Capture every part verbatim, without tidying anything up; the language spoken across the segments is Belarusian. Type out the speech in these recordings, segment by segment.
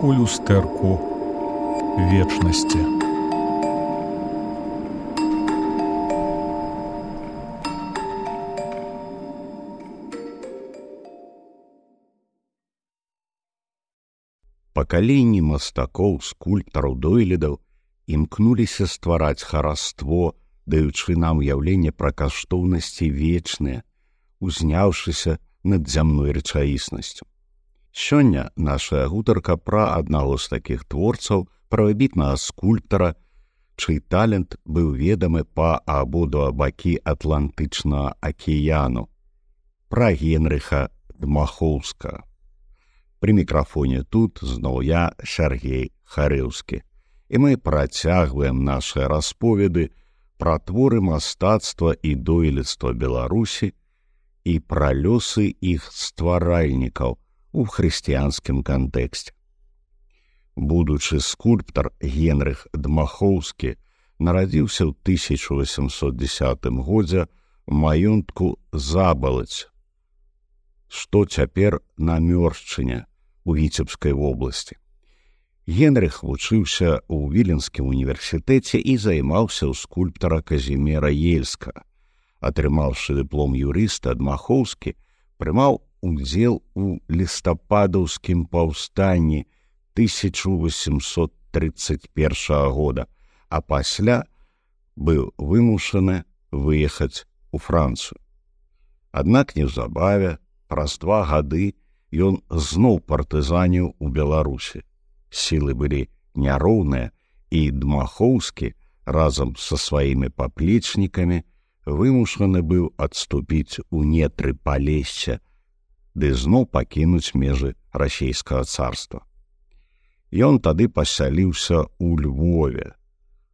у люстэрку вечнасці. Пакаленні мастакоў, скульптараў, дойлідаў імкнуліся ствараць хараство, даючы нам уяўленне пра каштоўнасці вечныя, узняўшыся над зямной рэчаіснасцю. Сёння нашая гутарка пра аднаго з такіх творцаў, пра выбітнага скульптара, чый талент быў ведамы па абодва бакі Атлантычнага акіяну, пра Генрыха Дмахоўскага. Пры мікрафоне тут зноў я, Сяргей Харэўскі, і мы працягваем нашы расповеды пра творы мастацтва і дойлідства Беларусі і пра лёсы іх стваральнікаў у хрысціянскім кантэксце. Будучы скульптар Генрых Дмахоўскі нарадзіўся ў тысяча васьмісот дзесятым годзе ў маёнтку Забалаць, што цяпер на Мёршчыне у Віцебскай вобласці. Генрых вучыўся ў Віленскім універсітэце і займаўся ў скульптара Казіміра Ельскага. Атрымаўшы дыплом юрыста, Дмахоўскі прымаў удзел у лістападаўскім паўстанні тысяча васьмісот трыццаць першага года, а пасля быў вымушаны выехаць у Францыю. Аднак неўзабаве, праз два гады, ён зноў партызаніў у Беларусі. Сілы былі няроўныя, і Дмахоўскі разам са сваімі паплечнікамі вымушаны быў адступіць у нетры Палесся, ды зноў пакінуць межы расійскага царства. Ён тады пасяліўся ў Львове,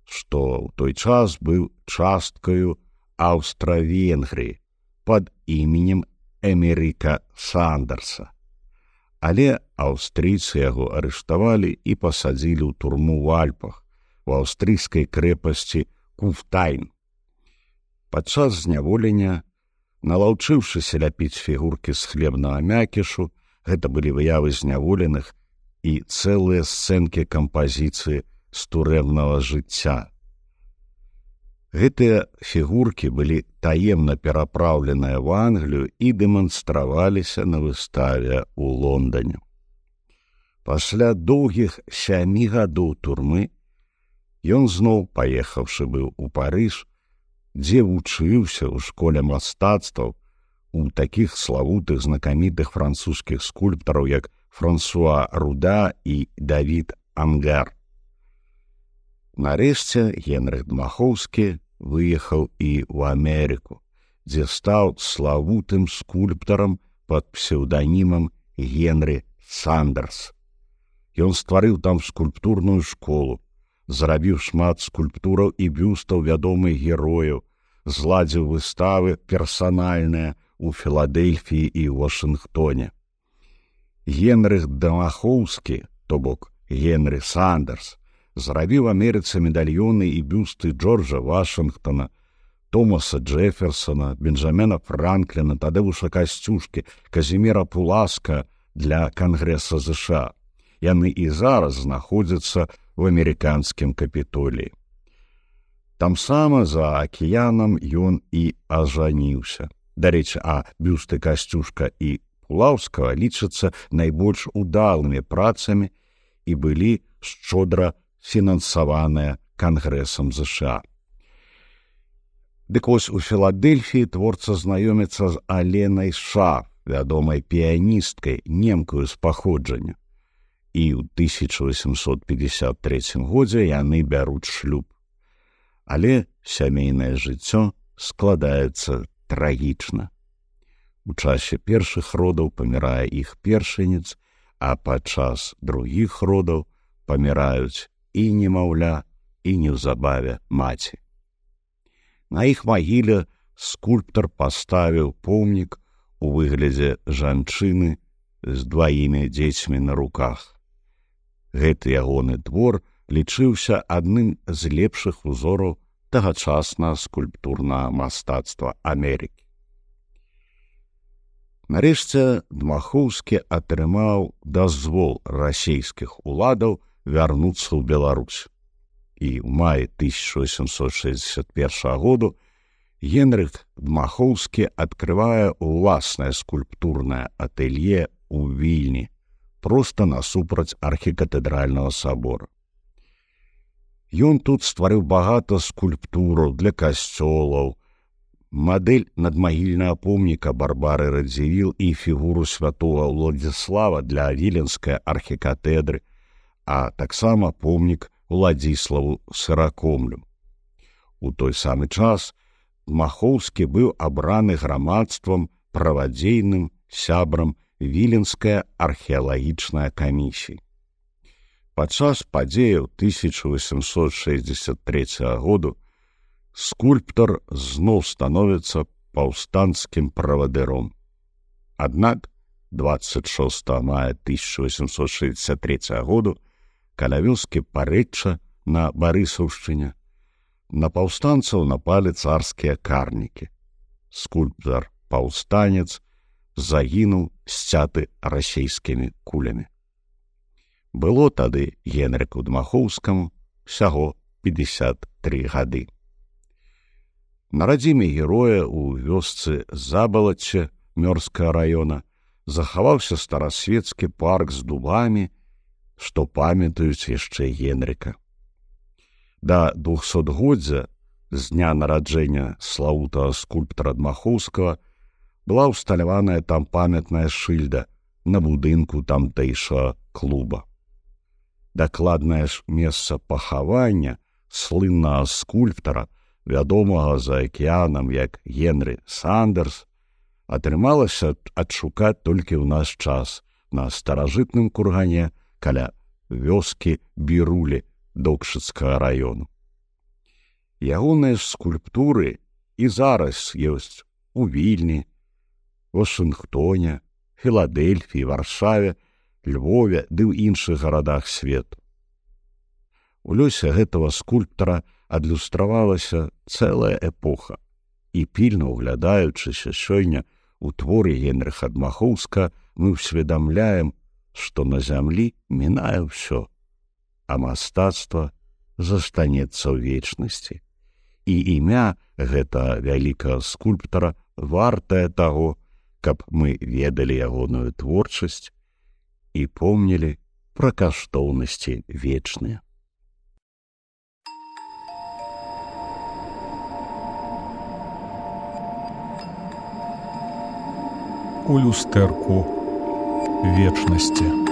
што ў той час быў часткаю Аўстра-Венгрыі пад іменем Эмеріка Сандерса. Але аўстрыйцы яго арыштавалі і пасадзілі ў турму ў Альпах, у аўстрыйскай крэпасці Куфтайн. Падчас зняволення, налаўчыўшыся ляпіць фігуркі з хлебнага мякішу, гэта былі выявы зняволеных і цэлыя сцэнкі кампазіцыі з турэмнага жыцця. Гэтыя фігуркі былі таемна перапраўленыя ў Англію і дэманстраваліся на выставе ў Лондане. Пасля доўгіх сямі гадоў турмы ён зноў, паехаўшы быў у Парыж, дзе вучыўся ў школе мастацтваў у такіх славутых знакамітых французскіх скульптараў, як Франсуа Руда і Давід Ангар. Нарэшце Генрых Дмахоўскі выехаў і ў Амерыку, дзе стаў славутым скульптарам пад псеўданімам Генры Сандерс. Ён стварыў там скульптурную школу, зрабіў шмат скульптураў і бюстаў вядомых герояў, зладзіў выставы персанальныя ў Філадэльфіі і Вашынгтоне. Генрых Дмахоўскі, то бок Генры Сандерс, зрабіў Амерыцы медальёны і бюсты Джорджа Вашынгтона, Томаса Джэферсона, Бенджамена Франкліна, Тадеуша Касцюшкі, Казіміра Пуласка для Кангрэса ЗША. Яны і зараз знаходзяцца ў амерыканскім Капітоліі. Тамсама за акіянам ён і ажаніўся. Дарэчы, а бюсты Касцюшка і Пулаўскага лічацца найбольш удалымі працамі і былі шчодра фінансаваныя Кангрэсам ЗША. Дык вось у Філадэльфіі творца знаёміцца з Аленай Шаф, вядомай піяністкай, немкаю з паходжання. І ў тысяча васьмісот пятьдесят трэцім годзе яны бяруць шлюб. Але сямейнае жыццё складаецца трагічна. У часе першых родаў памірае іх першаніц, а падчас другіх родаў паміраюць і немаўля, і неўзабаве маці. На іх магіле скульптар паставіў помнік у выглядзе жанчыны з дваімі дзецьмі на руках. Гэты ягоны твор лічыўся адным з лепшых узораў тагачаснага скульптурнага мастацтва Амерыкі. Нарэшце Дмахоўскі атрымаў дазвол расійскіх уладаў вярнуцца ў Беларусь. І ў маі тысяча восемьсот шестьдесят первого году Генрых Дмахоўскі адкрывае ўласнае скульптурнае атэлье ў Вільні, проста насупраць архікатэдральнага сабора. Ён тут стварыў багата скульптураў для касцёлаў, мадэль надмагільнага помніка Барбары Радзівіл і фігуру святого Владзіслава для віленскай архікатэдры, а таксама помнік Уладзіславу Сыракомлю. У той самы час Дмахоўскі быў абраны грамадствам правадзейным сябрам Віленскай археалагічнай камісіі. Падчас падзеяў тысяча восемьсот шестьдесят третьего году скульптар зноў становіцца паўстанцкім правадыром. Аднак двадцать шестого мая тысяча восемьсот шестьдесят третьего году каля вёскі Парэчча на Барысаўшчыне на паўстанцаў напалі царскія карнікі. Скульптар-паўстанец загінуў сцяты расійскімі кулямі. Было тады Генрыку Дмахоўскаму ўсяго пятьдесят три гады. На радзіме героя ў вёсцы Забалацце Мёрскага раёна захаваўся старасвецкі парк з дубамі, што памятаюць яшчэ Генрыка. Да двухсотгоддзя з дня нараджэння славутага скульптара Дмахоўскага была ўсталяваная там памятная шыльда на будынку тамтэйшага клуба. Дакладнае ж месца пахавання слыннага скульптара, вядомага за акіянам як Генры Сандерс, атрымалася адшукаць толькі ў наш час на старажытным кургане каля вёскі Бірулі Докшыцкага раёну. Ягоныя скульптуры і зараз ёсць у Вільні, Вашынгтоне, Філадэльфіі, Варшаве, Львове ды ў іншых гарадах свету. У лёсе гэтага скульптара адлюстравалася цэлая эпоха, і пільна ўглядаючыся сёння у творы Генрыха Дмахоўска мы ўсведамляем, што на зямлі мінае ўсё, а мастацтва застанецца ў вечнасці. І імя гэтага вялікага скульптара вартае таго, каб мы ведалі ягоную творчасць і помнілі пра каштоўнасці вечныя. У люстэрку вечнасці.